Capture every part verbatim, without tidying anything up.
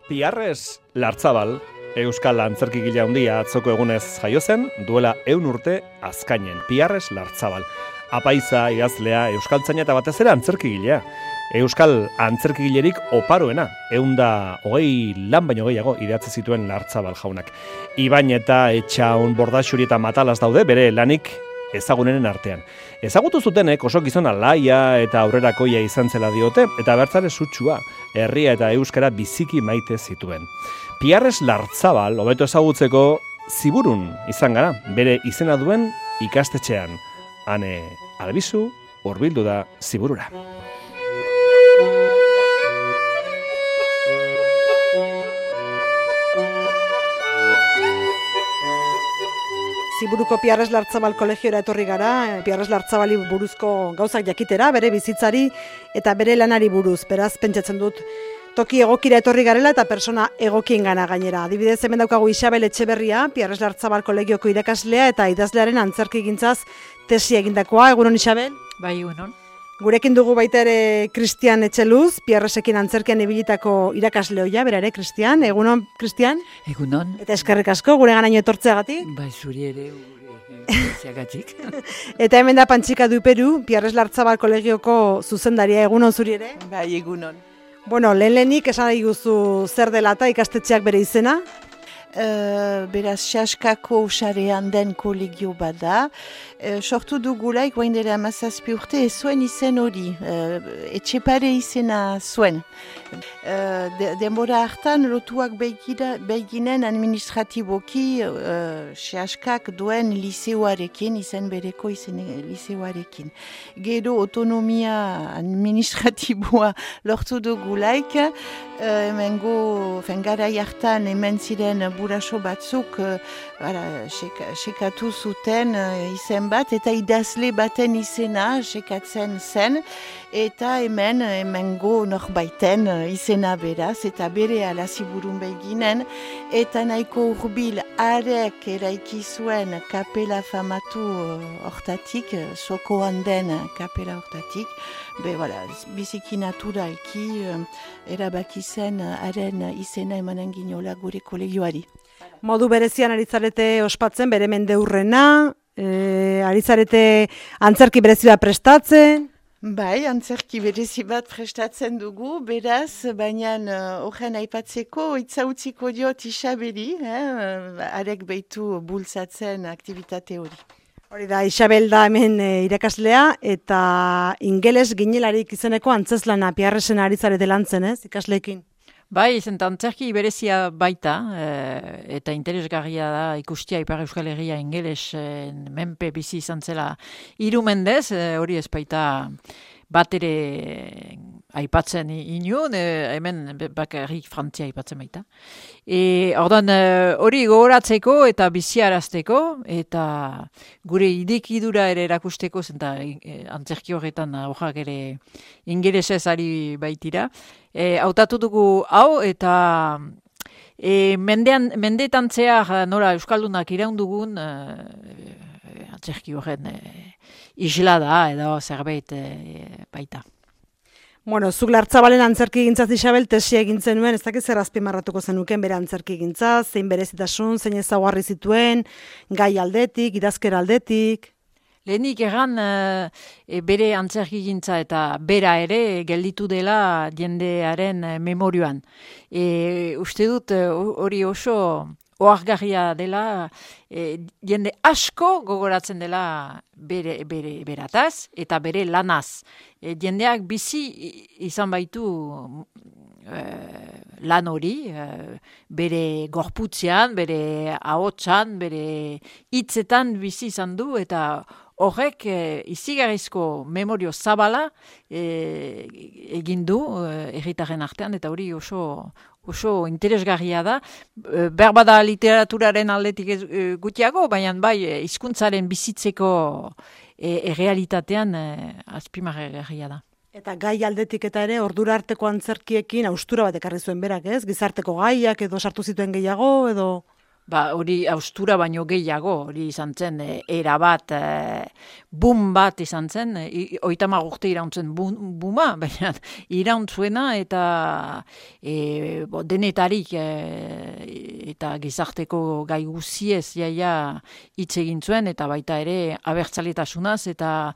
Piarres Lartzabal, euskal antzerkigile handia atzoko egunez jaio zen, duela ehun urte azkainen. Piarres Lartzabal, apaiza, idazlea, euskaltzaina eta batez ere antzerkigilea. Euskal antzerkigilerik oparoena, ehunda hogei lan baino gehiago idatzi zituen Lartzabal jaunak. Ibain eta Etxaun, Bordaxuri eta Matalaz daude bere lanik ezagunenen artean. Ezagutu zutenek oso gizon alaia eta aurrerakoia izan zela diote, eta bertzare sutsua, herria eta euskara biziki maite zituen. Piarres Lartzabal, hobeto ezagutzeko, Ziburun izan gara, bere izena duen ikastetxean. Ane Albizu, hurbildu da Ziburura. Ziburuko Piarres Lartzabal kolegiora etorri gara, Piarres Lartzabali buruzko gauzak jakitera, bere bizitzari eta bere lanari buruz. Beraz, pentsatzen dut, toki egokira etorri garela eta persona egokien gana gainera. Adibidez, hemen daukagu Isabel Etxeberria, Piarres Lartzabal kolegioko irakaslea eta idazlearen antzerkigintzaz tesi egindakoa. Egunon, Isabel? Bai, egunon. Gurekin dugu baita ere Cristian Etxeluz, Piarresekin antzerkian ibilitako irakasleoia, bera ere, Cristian. Egunon, Cristian? Egunon. Eta eskerrik asko, gure ganaino etortzeagatik. Bai, zuri ere, etortzeagatik. Eta hemen da Pantxika Duperu, Piarres Lartzabal kolegioko zuzendaria. Egunon zuri ere? Bai, egunon. Bueno, lehen lehenik esan nahi guzu zer dela eta ikastetxeak bere izena? Uh, beraz, Saskako sarean den kolegio bada. Uh, sortu dugulaik, guain dela amazazpi urte, ez zuen izen hori. Uh, Etxepare izena zuen. Uh, de, denbora hartan, lotuak begira, beginen administratiboki uh, Saskak duen liseoarekin, izen bereko izen liseoarekin. Gero autonomia administratiboa lortu dugulaik, uh, hemengo, fengarai hartan, hemen ziren buraso batzuk uh, bara, seka, sekatu zuten uh, izen bat, eta idazle baten izena sekatzen zen, eta hemen hemengo norbaiten uh, izena beraz, eta bere ala Ziburun beginen, eta nahiko hurbil arek eraiki zuen kapela famatu hortatik, uh, sokoan den kapela hortatik, be, voilà, biziki naturalki uh, erabaki zen haren uh, izena emanen ginola gure kolegioari. Modu berezian aritzarete ospatzen, bere mendeurrena, e, aritzarete antzerki berezi bat prestatzen? Bai, antzerki berezi bat prestatzen dugu, beraz, baina horren uh, aipatzeko itzautziko diot Isabeli, eh, arek behitu bultzatzen aktivitate hori. Hori da, Isabel da hemen e, irakaslea, eta ingeles ginelarik izeneko antzeslana Piarresen aritzarete lantzen, ez, ikasleekin? Bai, izan antzerki berezia baita, e, eta interesgarria da ikustia Ipar Euskal Herria ingelesen menpe bizi izan zela hiru mendez, e, hori ez baita bat ere aipatzen inun, e, hemen bakarrik Frantzia aipatzen baita. E, ordan hori gogoratzeko eta biziarazteko, eta gure idekidura ere erakusteko, zenta e, antzerki horretan horrak ere ingelesez ari baitira. E, hautatu dugu hau, eta e, mendean, mendeetan zehar nola Euskaldunak iraundugun e, e, antzerki horren e, isla da, edo zerbait e, baita. Bueno, zuk Lartzabalen antzerki gintzaz Isabel tesia egin zenuen, ez dakit zer azpimarratuko zenuken bere antzerki gintzaz, zein berezitasun, zein ezaugarri zituen, gai aldetik, idazkera aldetik. Lehenik erran e, bere antzerkigintza eta bera ere gelditu dela jendearen memorioan. E, uste dut hori oso ohargarria dela, e, jende asko gogoratzen dela bere, bere berataz eta bere lanaz. E, jendeak bizi izan baitu e, lan hori, e, bere gorputzean, bere ahotsan, bere hitzetan bizi izan du, eta horrek e, izigarrizko memorio zabala e, egin du herritarren artean, eta hori oso oso interesgarria da. E, berbada literaturaren aldetik ez, e, gutiago, baina bai hizkuntzaren bizitzeko e, errealitatean e, azpimarragarria da. Eta gai aldetik eta ere ordura arteko antzerkiekin haustura bat ekarri zuen berak, ez? Gizarteko gaiak edo sartu zituen gehiago edo... Ba, hori austura baino gehiago, hori izan zen, e, era bat, e, boom bat izan zen, e, oitama urte irauntzen booma, baina irauntzuena eta e, bo, denetarik e, eta gizarteko gai guziez jaia hitz egin zuen, eta baita ere abertzaletasunaz, eta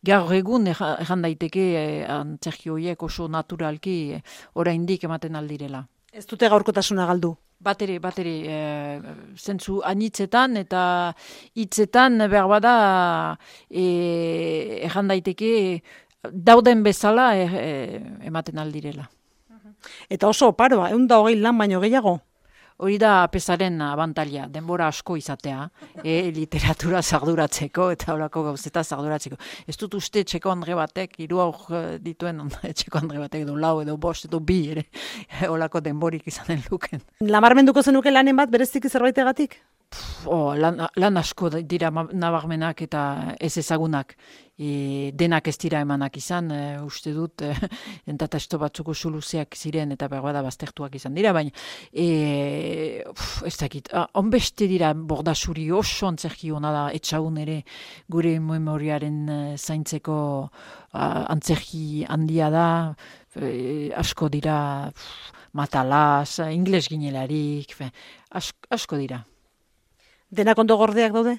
gaur egun erran daiteke e, antzerki horiek oso naturalki e, oraindik ematen aldirela. Ez dute gaurkotasuna galdu? Bateri, bateri, e, zentzu anitzetan eta hitzetan behar bada e, erran daiteke dauden bezala e, e, ematen aldirela. Eta oso oparoa, ehun eta hogei lan baino gehiago? Hori da pesaren abantaila, denbora asko izatea, e, literatura zarduratzeko eta horako gauzeta zarduratzeko. Ez dut uste txeko andre batek, hiru aur dituen txeko andre batek edo lau edo bost edo bi ere, horako denborik izanen luken. Lamarmenduko zenuke lanen bat bereziki zerbaitegatik? Oh, lan, lan asko dira nabarmenak eta ez ezagunak. E, denak ez dira emanak izan, e, uste dut, e, entatasto batzuko soluziak ziren eta berbada baztertuak izan dira, baina e, uf, ez dakit, onbeste dira bordasuri oso antzerki hona da etxagun ere gure memoriaren e, zaintzeko a, antzerki handia da, e, asko dira uf, matalaz, ingles ginelarik, fe, asko, asko dira. Denak ondo gordeak daude?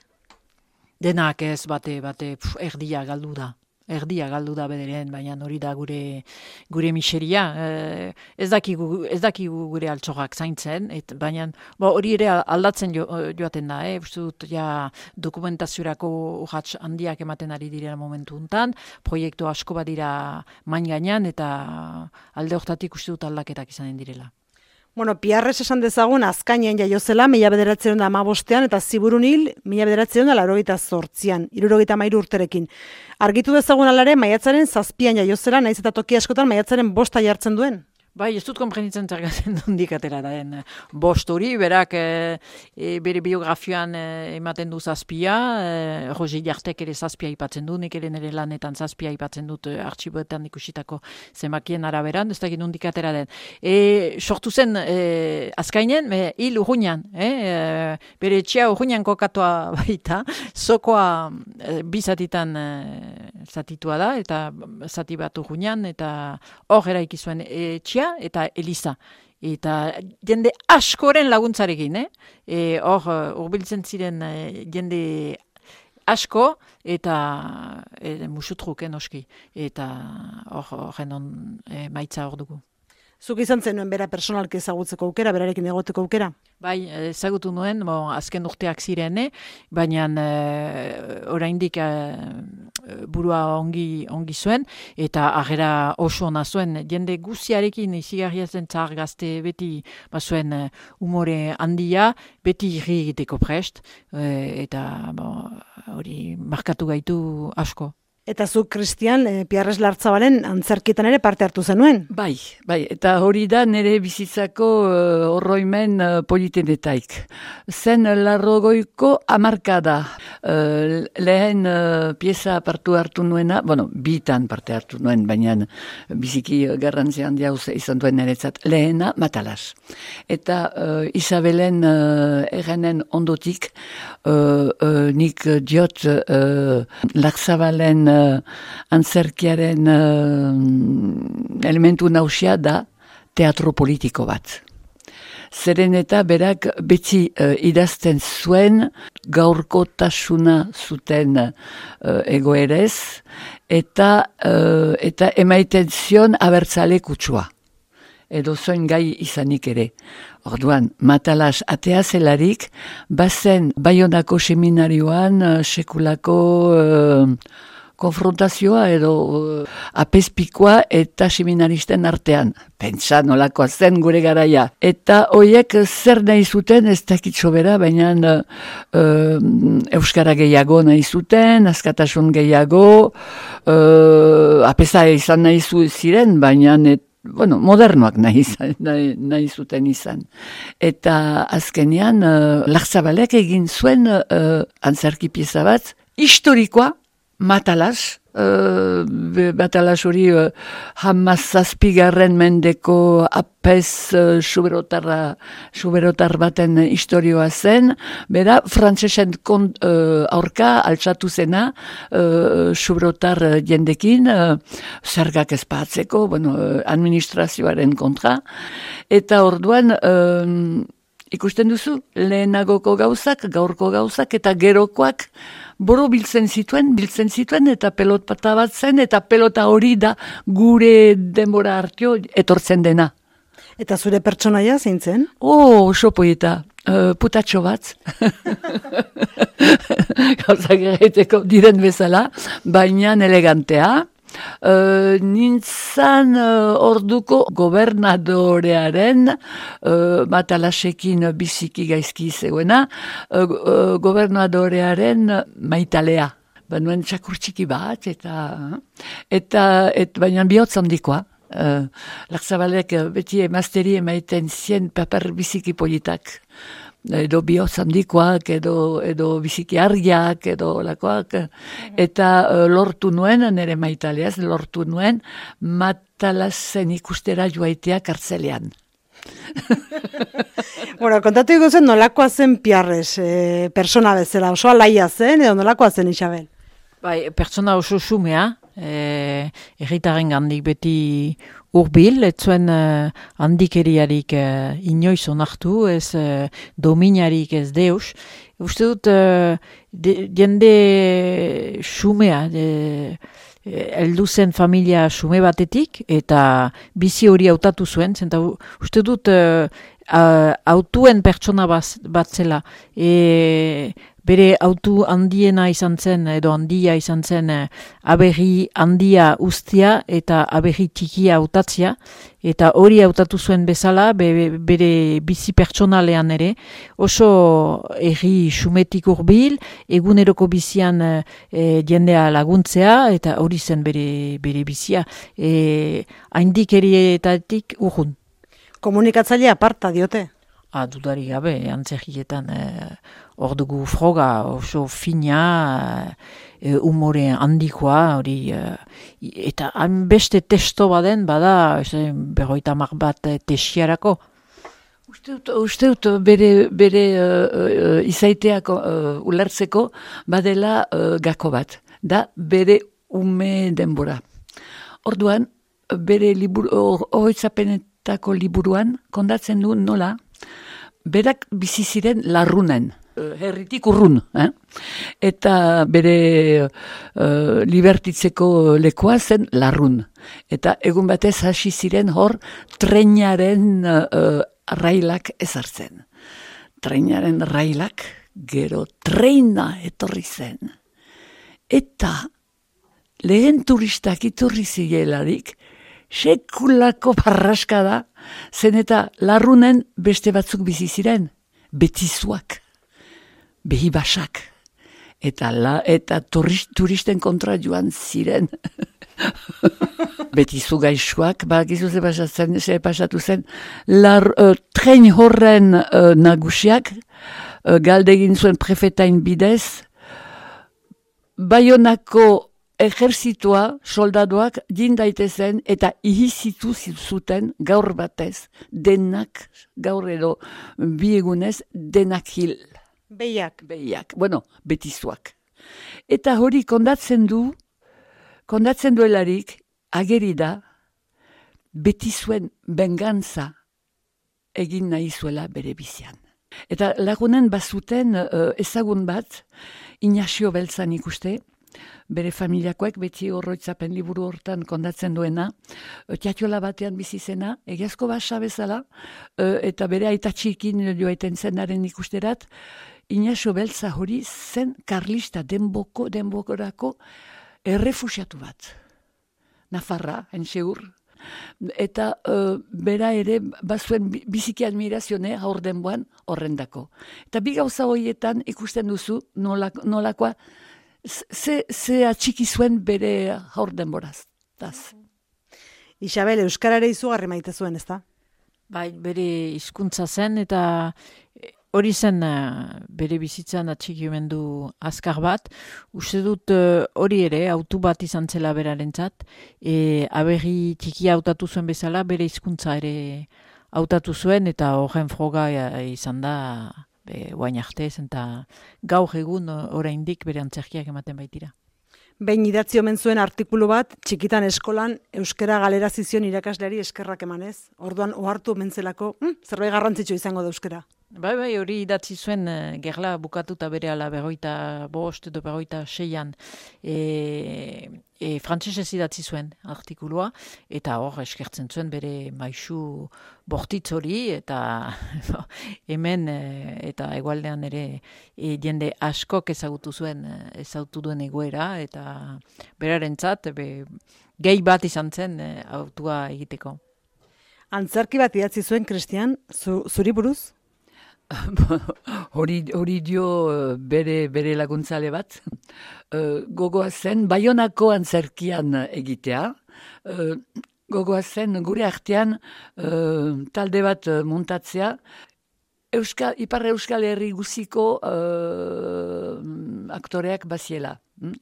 Denak ez, bate, bate, pf, erdia galdu da. Erdia galdu da bederen, baina hori da gure gure miseria. Eh, ez dakigu, ez dakigu gure altxorrak zaintzen, et, baina bo, hori ere aldatzen jo, joaten da. Eh? Uste dut, ja, dokumentaziorako urrats handiak ematen ari direla momentu untan, proiektu asko badira main gainean, eta alde hortatik uste dut aldaketak izanen direla. Bueno, Piarres esan dezagun azkainen jaio zela, mila bederatziehun eta hamabostean, eta Ziburun hil, mila bederatziehun eta laurogeita zortzian, hirurogeita hamairu urterekin. Argitu dezagun alare, maiatzaren zazpian jaio zela, naiz eta toki askotan maiatzaren bosta jartzen duen. Bai, ez dut konprenitzen zergatzen dundik atera den bost hori, berak e, e, bere biografioan e, ematen du zazpia, e, Roger Jartek ere zazpia ipatzen du, nik ere nire lanetan zazpia ipatzen dut e, artxiboetan ikusitako zemakien araberan, ez dakit dundik atera den. E, sortu zen e, azkainen, e, hil urruñan, e, e, bere etxea urruñan kokatua baita, zokoa e, bizatitan e, zatitua da, eta zati bat urruñan, eta hor eraiki zuen etxea, eta Eliza. Eta jende askoren laguntzarekin, eh? E, hor, urbiltzen ziren e, jende asko, eta e, musutruk, eh, noski. Eta hor, horren on e, maitza hor dugu. Zuk izan zenuen bera personalki ezagutzeko aukera, berarekin egoteko aukera? Bai, ezagutu nuen, bon, azken urteak ziren, eh? Baina e, oraindik e, burua ongi, ongi zuen, eta agera oso ona zuen, jende guziarekin izigarria zen zahar gazte beti bazuen e, umore handia, beti irri egiteko prest, e, eta hori bon, markatu gaitu asko. Eta zuk, Kristian, e, Piarres Lartzabalen antzerkietan ere parte hartu zenuen? Bai, bai, eta hori da nire bizitzako uh, horroimen uh, politenetaik. Zen larrogoiko hamarkada. Uh, lehen uh, pieza partu hartu nuena, bueno, bitan parte hartu nuen, baina biziki garrantzi handia izan duen niretzat. Lehena, Matalas. Eta uh, Isabelen uh, errenen ondotik, uh, uh, nik diot uh, Lartzabalen Uh, antzerkiaren uh, elementu nausia da teatro politiko bat. Zeren eta berak beti uh, idazten zuen gaurkotasuna zuten uh, egoerez eta, uh, eta emaiten zion abertzale kutsua. Edo zoin gai izanik ere. Orduan, Matalas atea zelarik, bazen Baionako seminarioan uh, sekulako uh, konfrontazioa edo uh, apezpikoa eta seminaristen artean. Pentsa nolakoa zen gure garaia. Eta hoiek zer nahi zuten, ez dakit sobera, baina uh, uh, euskara gehiago nahi zuten, askatasun gehiago, uh, apeza izan nahi ziren, baina et, bueno, modernoak nahi, nahi, nahi zuten izan. Eta azkenean, uh, Lartzabalek egin zuen uh, antzerki pieza bat, historikoa, Matalas, uh, Matalas hori uh, hamazazpigarren mendeko apez uh, suberotarra, suberotar baten historioa zen, bera, frantsesen kont, uh, aurka altsatu zena uh, suberotar jendekin, uh, zergak ezpatzeko, bueno, administrazioaren kontra, eta orduan, uh, ikusten duzu, lehenagoko gauzak, gaurko gauzak, eta gerokoak, boro biltzen zituen, biltzen zituen, eta pelot pata bat zen, eta pelota hori da gure denbora hartio etortzen dena. Eta zure pertsonaia zein zen? Oh, oso poeta, uh, putatxo bat. Gauzak egiteko diren bezala, baina elegantea. Uh, nintzan uh, orduko gobernadorearen uh, Matalasekin biziki gaizki zegoena, uh, uh, gobernadorearen maitalea. Banuen txakur txiki bat, eta, eta et, baina bihotz handikoa. Uh, Lartzabalek beti emazteri emaiten zien paper biziki politak. Edo bihotz handikoak, edo, edo biziki argiak, edo lakoak, eta uh, lortu nuen, nire maitaleaz, lortu nuen, Matalasen ikustera joaitea kartzelean. Bueno, kontatu ikusen nolakoa zen Piarres, e, persona bezala, oso alaia zen, edo nolakoa zen Isabel? Bai, pertsona oso xumea, e, erritaren gandik beti urbil, ez zuen uh, handikeriarik uh, inoiz onartu, ez uh, dominarik ez deus. Uste dut, uh, jende xumea, heldu zen familia xume batetik, eta bizi hori hautatu zuen, zenta uste dut, uh, uh, autuen pertsona bat zela, e, bere autu handiena izan zen, edo handia izan zen, aberri handia ustia eta aberri txikia hautatzia, eta hori hautatu zuen bezala, be, bere bizi pertsonalean ere, oso erri xumetik urbil, eguneroko bizian e, jendea laguntzea, eta hori zen bere, bere bizia, e, haindik erietatik urrun. Komunikatzailea aparta diote? Ah, dudari gabe, antzerkietan hor e, dugu froga oso fina, e, umore handikoa, hori, e, eta beste testo baden, bada, e, berroita mar bat e, tesiarako. Uste dut, uste dut bere, bere uh, izaiteak uh, ulertzeko badela uh, gako bat, da bere ume denbora. Orduan, bere horoitzapenetako liburuan kondatzen du nola, berak bizi ziren larrunen, herritik urrun, eh? Eta bere uh, libertitzeko lekoa zen larrun. Eta egun batez hasi ziren hor trenaren uh, railak ezartzen. Trenaren railak gero treina etorri zen. Eta lehen turistak iturri zigelarik, sekulako parraskada, zen eta larrunen beste batzuk bizi ziren, betizuak, behibasak, eta, la, eta turist, turisten kontra joan ziren. Betizu gaixoak, bakizu ze pasatzen, ze pasatu zen, lar, uh, tren horren uh, nagusiak, uh, galdegin zuen prefetain bidez, Baionako ejerzitoa, soldadoak, jindaitezen eta ihizitu zuten gaur batez, denak, gaur edo bi egunez, denak hil. Behiak. Behiak, bueno, betizuak. Eta hori kondatzen du, kondatzen duelarik, ageri da, betizuen bengantza egin nahi zuela bere bizian. Eta lagunen bazuten uh, ezagun bat, Inazio Beltzan ikuste, bere familiakoek beti horroitzapen liburu hortan kondatzen duena, tiatiola batean bizi zena, egiazko basa bezala, uh, eta bere aitatxikin joaiten zenaren ikusterat, Inazio Beltza hori zen karlista denboko, denbokorako errefusiatu bat. Nafarra, entseur. Eta uh, bera ere bazuen biziki admirazione haur denboan horrendako. Eta bi gauza horietan ikusten duzu nolak, nolakoa ze, ze atxiki zuen bere haur denboraz. Isabel, euskarare izugarri maite zuen, ezta? Bai, bere hizkuntza zen eta hori zen uh, bere bizitzan atxikimendu azkar bat, uste dut uh, hori ere, autu bat izan zela berarentzat, e, aberri txikia hautatu zuen bezala, bere hizkuntza ere hautatu zuen, eta horren froga uh, izan da, be, guain artez, eta gaur egun oraindik bere antzerkiak ematen baitira. Behin idatzi omen zuen artikulu bat, txikitan eskolan euskara galera zizion irakasleari eskerrak emanez. Orduan ohartu omen zelako, hm, zerbait garrantzitsu izango da euskara. Bai, bai, hori idatzi zuen uh, gerla bukatuta bere ala berroita bost edo berroita seian e, e, frantsesez idatzi zuen artikulua, eta hor eskertzen zuen bere maisu bortitz hori, eta hemen e, eta hegoaldean ere e, jende askok ezagutu zuen, ezagutu duen egoera, eta berarentzat be, gehi bat izan zen e, autua egiteko. Antzerki bat idatzi zuen, Kristian, zu, zuri buruz? hori, hori dio bere, bere laguntzale bat. Gogoa zen, Baionako antzerkian egitea. Gogoa zen, gure artean talde bat muntatzea. Euskal, Ipar Euskal Herri guziko uh, aktoreak baziela.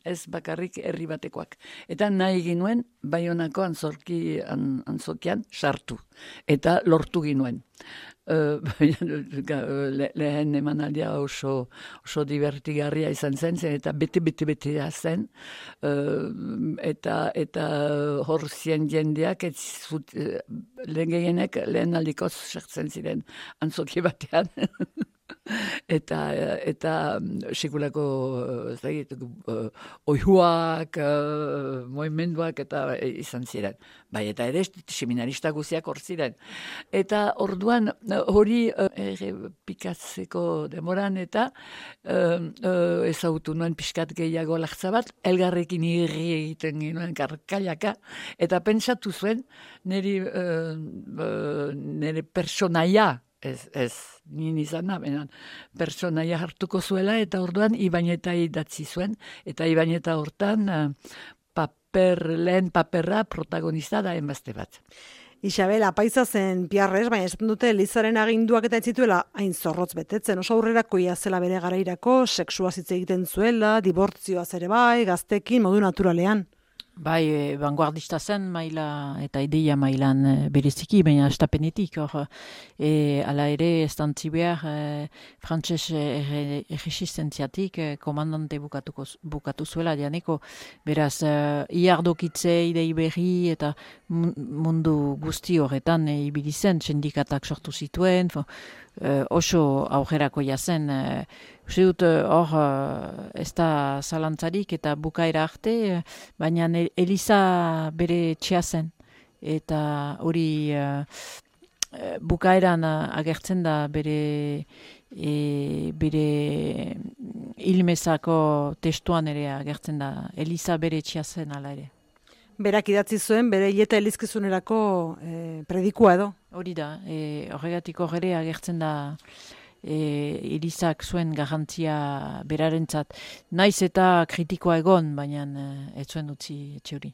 Ez bakarrik herri batekoak. Eta nahi ginuen, Baionako antzorki, an, antzokian sartu. Eta lortu ginuen. Uh, le, lehen emanaldia oso, oso divertigarria izan zen, zen eta bete-bete-bete zen, uh, eta, eta hor zien jendeak, ez zut, uh, lehen gehienek lehen aldikoz sartzen ziren antzoki batean. eta eta sekulako zait, uh, oihuak, uh, moimenduak eta izan ziren. Bai, eta ere seminarista guziak hor ziren. Eta orduan hori uh, errepikatzeko demoran eta uh, uh, ezagutu nuen pixkat gehiago lartza bat, elgarrekin irri egiten ginoen karkailaka, eta pentsatu zuen niri, uh, uh, nire personaia, Ez, ez, nien izan da, benan, personaia hartuko zuela, eta orduan Ibañeta idatzi zuen, eta Ibañeta hortan uh, paper, lehen paperra protagonista da enbazte bat. Isabel, apaiza zen piarrez, baina esaten dute Elizaren aginduak eta ez zituela hain zorrotz betetzen. Oso aurrerakoia zela bere garairako, sexua hitz egiten zuela, dibortzioaz ere bai, gaztekin, modu naturalean. Bai, e, vanguardista zen maila eta ideia mailan e, bereziki, baina estapenetik, hor, e, ala ere estantzi behar e, frantses erresistentziatik e, komandante bukatuko, bukatu zuela, dianeko, beraz, e, iardokitze idei berri eta mundu guzti horretan e, ibili zen, sindikatak sortu zituen, fo, e, oso aurrerako jazen, e, uste dut, hor, ez da zalantzarik eta bukaera arte, baina Eliza bere txea zen. Eta hori uh, bukaeran agertzen da bere, e, bere ilmezako testuan ere agertzen da. Eliza bere txea zen ala ere. Berak idatzi zuen, bere hileta elizkizunerako e, predikua edo? Hori da, e, horregatik horre agertzen da E, Elizak zuen garrantzia berarentzat. Naiz eta kritikoa egon, baina ez zuen utzi etxe hori.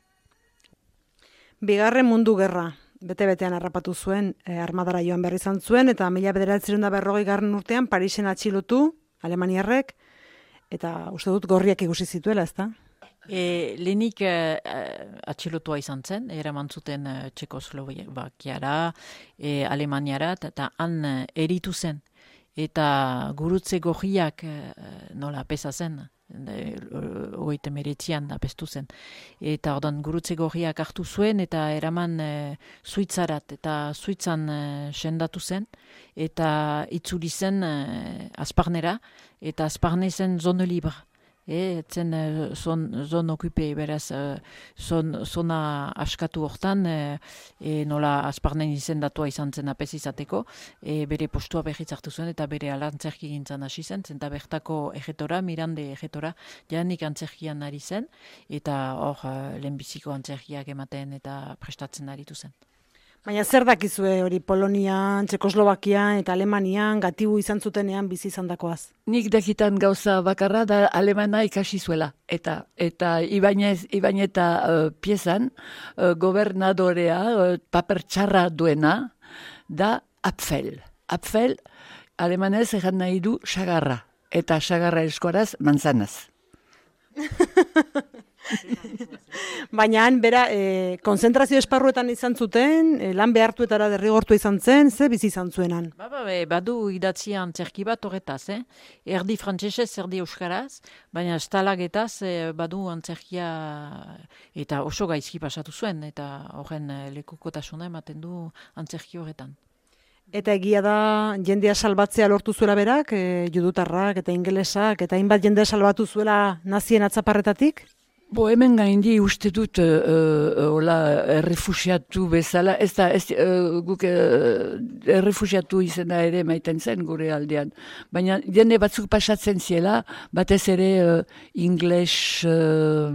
Bigarren mundu gerra, bete-betean harrapatu zuen, e, armadara joan berri izan zuen, eta mila bederatzerun da berrogei garren urtean Parisen atxilotu, Alemaniarrek, eta uste dut gorriak ikusi zituela, ezta? E, lehenik e, atxilotua izan zen, eraman zuten e, Txekoslovakiara, e, Alemaniara, eta han e, eritu zen. Eta gurutze gorriak nola pesa zen, hogeita meretzian apestu zen. Eta ordan gurutze gorriak hartu zuen eta eraman e, Suitzarat eta Suitzan e, sendatu zen. Eta itzuli zen e, Azparnera eta Azparne zen zone libre. E, etzen zon, zon okupe, beraz, zon, zona askatu hortan, e, e, nola Azparnen izendatua izan zen apez izateko, e, bere postua berriz hartu zuen eta bere alantzerki gintzan hasi zen, zenta bertako ejetora, Mirande ejetora, janik antzerkian ari zen, eta hor lehenbiziko antzerkiak ematen eta prestatzen aritu zen. Baina zer dakizue hori Polonian, Txekoslovakian eta Alemanian gatibu izan zutenean bizi izan dakoaz? Nik dakitan gauza bakarra da alemana ikasi zuela. Eta eta Ibañez, Ibañeta uh, piezan uh, gobernadorea uh, paper txarra duena da Apfel. Apfel alemanez egan nahi du sagarra, eta sagarra eskoraz manzanaz. Baina han, bera, e, konzentrazio esparruetan izan zuten, e, lan behartuetara derrigortu izan zen, ze bizi izan zuenan. Ba, ba, be, badu idatzia antzerki bat horretaz, eh? Erdi frantsesez, erdi euskaraz, baina estalagetaz e, badu antzerkia eta oso gaizki pasatu zuen, eta horren e, lekukotasuna ematen du antzerki horretan. Eta egia da jendea salbatzea lortu zuela berak, e, judutarrak eta ingelesak, eta hainbat jendea salbatu zuela nazien atzaparretatik? Bo, hemen gaindi uste dut uh, uh, hola, errefusiatu bezala, ez da, ez, uh, guk uh, errefusiatu izena ere maiten zen gure aldean. Baina jende batzuk pasatzen ziela, batez ere uh, ingles uh,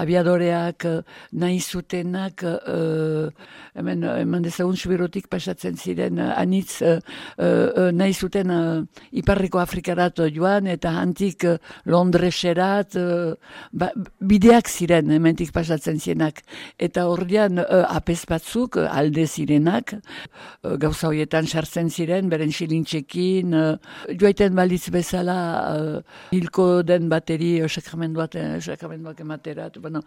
abiadoreak uh, nahi zutenak, uh, hemen, hemen dezagun subirotik pasatzen ziren, uh, anitz uh, uh, nahi zuten uh, Iparriko Afrikarat joan, eta hantik uh, Londreserat, uh, ba, bideak ziren, hementik pasatzen zienak. Eta horrean uh, apez batzuk, uh, alde zirenak, uh, gauza horietan sartzen ziren, beren xilintxekin, uh, joaiten balitz bezala, uh, hilko den bateri, uh, sakramenduak uh, ematerat. Bueno,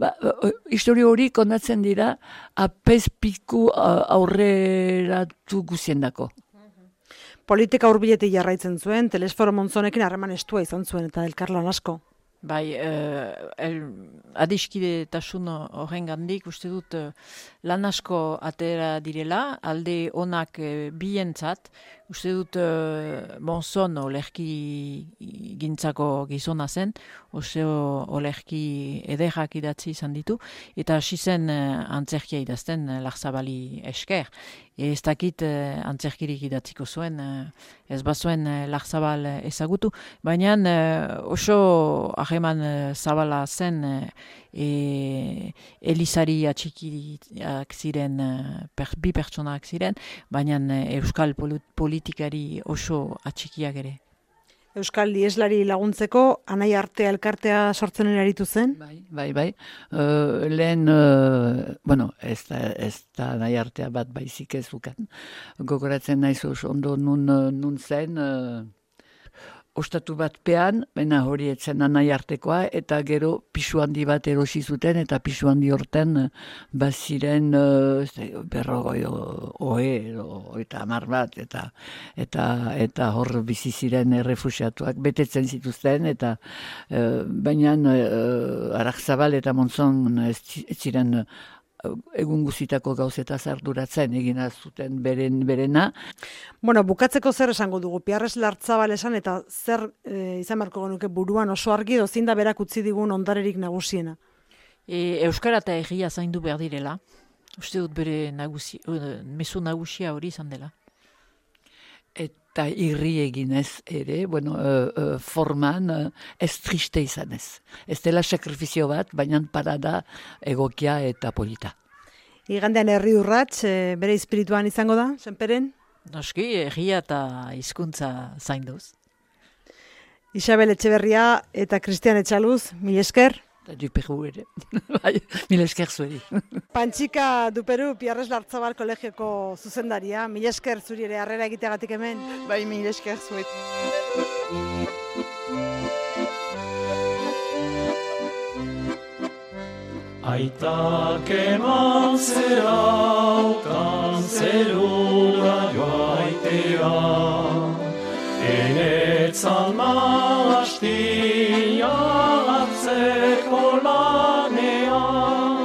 ba, uh, historio hori kondatzen dira, apez piku uh, aurreratu guziendako. Politika hurbiletik jarraitzen zuen, Telesforo Monzonekin harreman estua izan zuen, eta elkarlan asko. Bai, uh, el, adiskidetasun horren gandik, uste dut uh, lan asko atera direla, alde onak uh, bientzat, uste dut uh, Monzon olerki gintzako gizona zen, oso olerki ederrak idatzi izan ditu, eta hasi zen uh, antzerkia idazten uh, Larzabali esker. Ez dakit uh, antzerkirik idatziko zuen, uh, ez bazuen uh, Larzabal uh, ezagutu, baina uh, oso aheman uh, zabala zen uh, e, Elizari atxikiak ziren, uh, per, bi pertsonak ziren, baina uh, euskal politikari oso atxikiak ere. Euskal Lieslari laguntzeko, anai artea elkartea sortzen aritu zen? Bai, bai, bai. Uh, lehen, uh, bueno, ez da, ez da anai artea bat baizik ez ukan. Gogoratzen naiz oso ondo nun, nun zen, uh, ostatu bat pean, baina hori etzen anai artekoa, eta gero pisu handi bat erosi zuten, eta pisu handi horten baziren uh, berrogoi oe, eta hamar bat, eta, eta, eta hor bizi ziren errefusiatuak betetzen zituzten, eta uh, baina uh, Arakzabal eta Monzon ez ziren egun guzitako gauzetaz arduratzen egina zuten beren berena. Bueno, bukatzeko zer esango dugu, Piarres Larzabal esan, eta zer e, izan beharko genuke buruan oso argi dozin da berak utzi digun ondarerik nagusiena. E, Euskara eta egia zaindu behar direla. Uste dut bere nagusi, uh, mezu nagusia hori izan dela. Eta irri eginez ere, bueno, uh, uh, forman uh, ez triste izanez. Ez dela sakrifizio bat, baina parada egokia eta polita. Igandean herri urrats, e, bere espirituan izango da, senperen? Noski, egia eta hizkuntza zainduz. Isabel Etxeberria eta Cristian Etxaluz, mil esker. Eta duperu ere, mil esker zueri. Pantxika duperu, Piarres Larzabal kolegioko zuzendaria, mil esker zuri ere harrera egiteagatik hemen. Bai, mil esker zuet. Aitak eman zeraukan zerura joaitea, enetzan maastia atzeko lanean.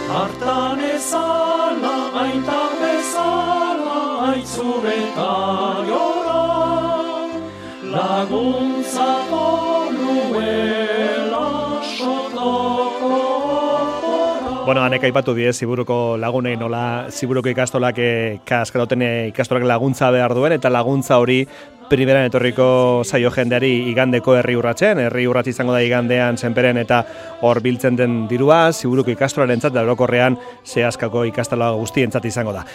Hartan ezala, aitak bezala, aitzureta jora, laguntzako nuela sotoko. Bueno, hanek aipatu die Ziburuko lagunei nola Ziburuko ikastolak kaskeroten ikastolak laguntza behar duen, eta laguntza hori primeran etorriko zaio jendeari igandeko herri urratzen, herri urratz izango da igandean senperen, eta hor biltzen den dirua Ziburuko ikastolarentzat da orokorrean zehazkako ikastola guztientzat izango da.